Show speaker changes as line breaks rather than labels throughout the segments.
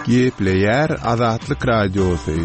Gepleýär Azatlyk Radiosy.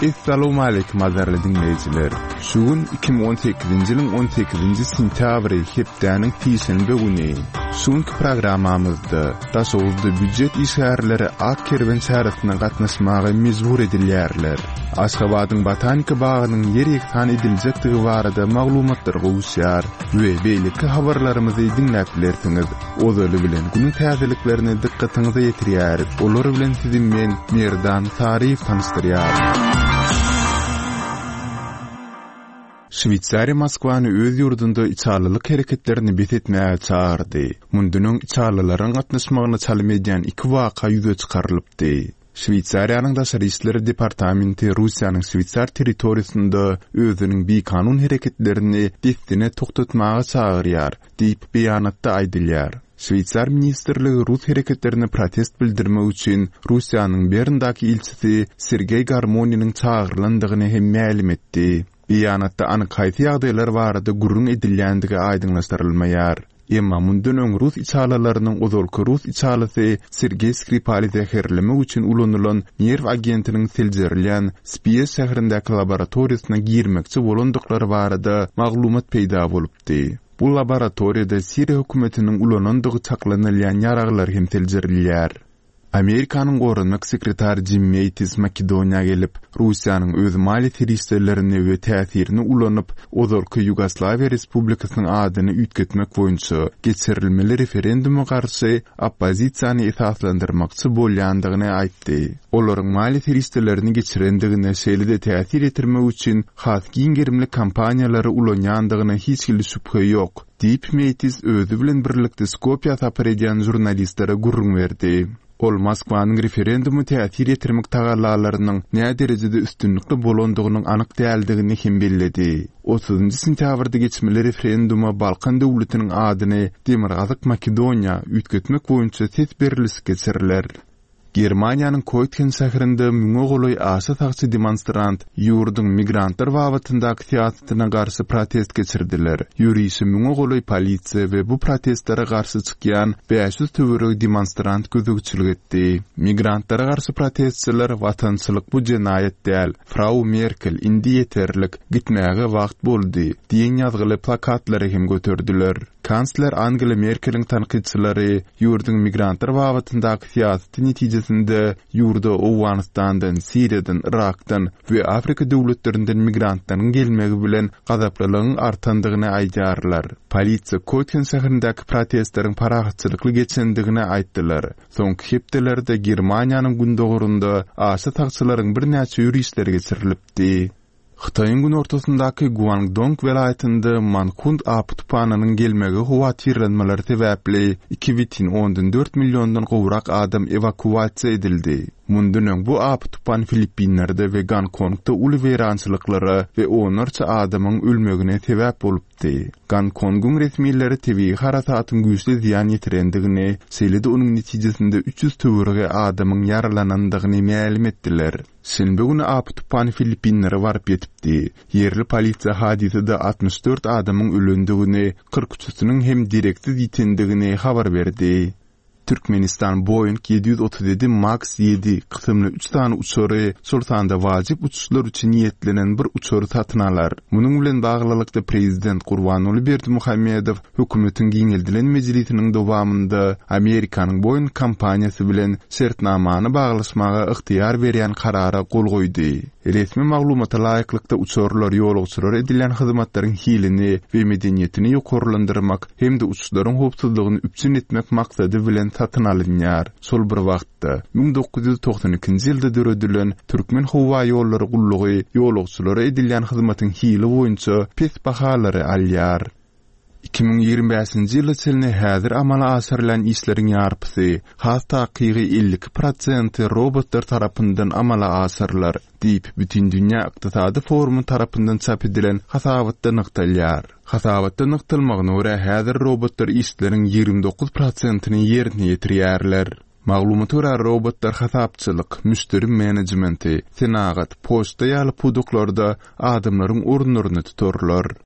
Essalawmaleýkim gadyrly diňleýjiler! Şu gün 2018-nji ýylyň 18-nji sentýabry hepdäniň sişenbe güni. Şu günki programmamyzda Daşoguzda býujet işgärleri Ak kerwen çäresine gatnaşmaga mejbur edilýärler. Aşgabadyň Botanika bagynyň ýer-ýegsan ediljekdigi barada maglumatlar gowuşýar we beýleki habarlarymyzy diňläp bilersiňiz. Ozaly bilen günüň täzeliklerini dykgatyňyza ýetirýäris. Olar bilen sizi men, Merdan Saryýew tanyşdyrýaryn. Şweýsariýa Moskwany öz ýurdunda içalylyk hereketlerini bes etmäge çagyrdy. Mundan öň içalylaryň gatnaşmagyna çalym edýän iki waka ýüze çykarylypdy. Şweýsariýanyň Daşary işler departamenti Russiýanyň şweýsar territoriýasynda özüniň bikanun hereketlerini dessine togtatmaga çagyrýar, diýip, beýanatda aýdylýar. Şweýsar ministrligi rus hereketlerine protest bildirmek üçin Russiýanyň Berndaky ilçisi Sergeý Garmoniniň çagyrylandygyny hem mälim etdi. Beýanatda anyk haýsy ýagdaýlar barada gürrüň edilýändigi aýdyňlaşdyrylmaýar. Emma mundan öň rus içalylarynyň ozalky rus içalysy Sergeý Skripaly zäherlemek üçin ulanylan nerw agentiniň seljerilýän Spiýe şäherindäki laboratoriýasyna girmekçi bolandyklary barada maglumat peýda bolupdy. Bu laboratoriýada Siriýa hökümetiniň ulanandygy çaklanylýan ýaraglar hem seljerilýär. Amerikanyň goranmak sekretary Jim Meýtis Makedoniýa gelip, Russiýanyň öz maliýe serişdelerini we täsirini ulanyp, ozalky Ýugoslawiýa Respublikasynyň adyny üýtgetmek boýunça geçirilmeli referenduma garşy oppozisiýany esaslandyrmakçy bolýandygyny aýtdy. Olaryň maliýe serişdelerini geçirendigine, şeýle-de täsir ýetirmek üçin has giň gerimli kampaniýalary ulanýandygyna hiç hili şübhe ýok. Diýip, Meýtis özi bilen birlikde Skopýa sapar edýän žurnalistlere gürrüň berdi. Ol Moskwanyň referenduma täsir ýetirmek tagallalarynyň näderejede üstünlikli bolandygynyň anyk däldigini hem belledi. Otuzynjy sentýabrda geçmeli referenduma Balkan döwletiniň adyny Demirgazyk Makedoniýa üýtgetmek boýunça ses berlişik geçiriler. Germaniýanyň Koýtgen şäherinde müňe golaý aşa sagçy demonstrant ýurduň migrantlar babatyndaky syýasatyna garşy protest geçirdiler. Ýörişe müňe golaý polisiýa we bu protestlere garşy çykýan 500 töweregi demonstrant gözegçilik etdi. Migrantlara garşy protestçiler Watançylyk bu jenaýat däl, Frau Merkel, indi ýeterlik, gitmäge wagt boldy diýen ýazgyly plakatlary hem göterdiler. Kansler Angela Merkeliň tankytçylary ýurduň migrantlar babatyndaky syýasaty netijesinde ýurda Owganystandan, Siriýadan, Yrakdan we Afrika döwletlerinden migrantlaryň gelmegi bilen gazaplylygyň artandygyny aýdýarlar. Polisiýa Kötgen şäherindäki protestleriň parahatçylykly geçendigini aýtdylar. Soňky hepdelerde Germaniýanyň gündogarynda aşa sagçylaryň birnäçe ýörişleri geçirilipdi. Hytaýyň günortasyndaky Guangdong welaýatynda Mankhund apy-tupanynyň gelmegi howatyrlanmalary sebäpli 2,4 milliondan gowrak adam ewakuasiýa edildi. Mundan öň bu apy-tupan Filippinlerde we Gonkongda uly weýrançylyklara we onlarça adamyň ölmegine sebäp bolupdy. Gonkongyň resmileri tebigy harasatyň güýçli zyýan ýetirendigini, şeýle-de onuň netijesinde 300 töweregi adamyň ýaralanandygyny mälim etdiler. Şenbe güni apy-tupan Filippinlere baryp ýetipdi. Ýerli polisiýa hadysada 64 adamyň ölendigini, 43-üsiniň hem dereksiz ýitendigini habar berdi. Türkmenistan Boeing 737 Max 7 kysymly üç sany uçary, şol sanda wajyp uçuşlar üçin niýetlenen bir uçary satyn alar. Munuň bilen baglylykda, prezident Gurbanguly Berdimuhamedow Hökümetiň giňeldilen mejlisiniň dowamynda Amerikanyň Boeing kompaniýasy bilen şertnamany baglaşmaga ygtyýar berýän karara gol goýdy. Resmi maglumata laýyklykda, uçarlar ýolagçylara edilýän hyzmatlaryň hilini we medeniýetini ýokarlandyrmak hem-de uçuşlaryň howpsuzlygyny üpjün etmek maksady bilen satyn alynýar. Şol bir wagtda, 1992-nji ýylda döredilen Türkmenhowaýollary gullugy ýolagçylara edilýän hyzmatyň hili boýunça pes bahalary alýar. 2025-nji ýyla çenli häzir amala aşyrylýan işleriň ýarpysy, has takygy 52 prosenti robotlar tarapyndan amala aşyrylar, diýip, Bütindünýä ykdysady forumy tarapyndan çap edilen hasabatda nygtalýar. Hasabatda nygtalmagyna görä, häzir robotlar işleriň 29 prosentini ýerine ýetirýärler. Maglumata görä, robotlar hasapçylyk, müşderi menejmenti, senagat, poçta ýaly pudaklarda adamlaryň orunlaryny tutarlar.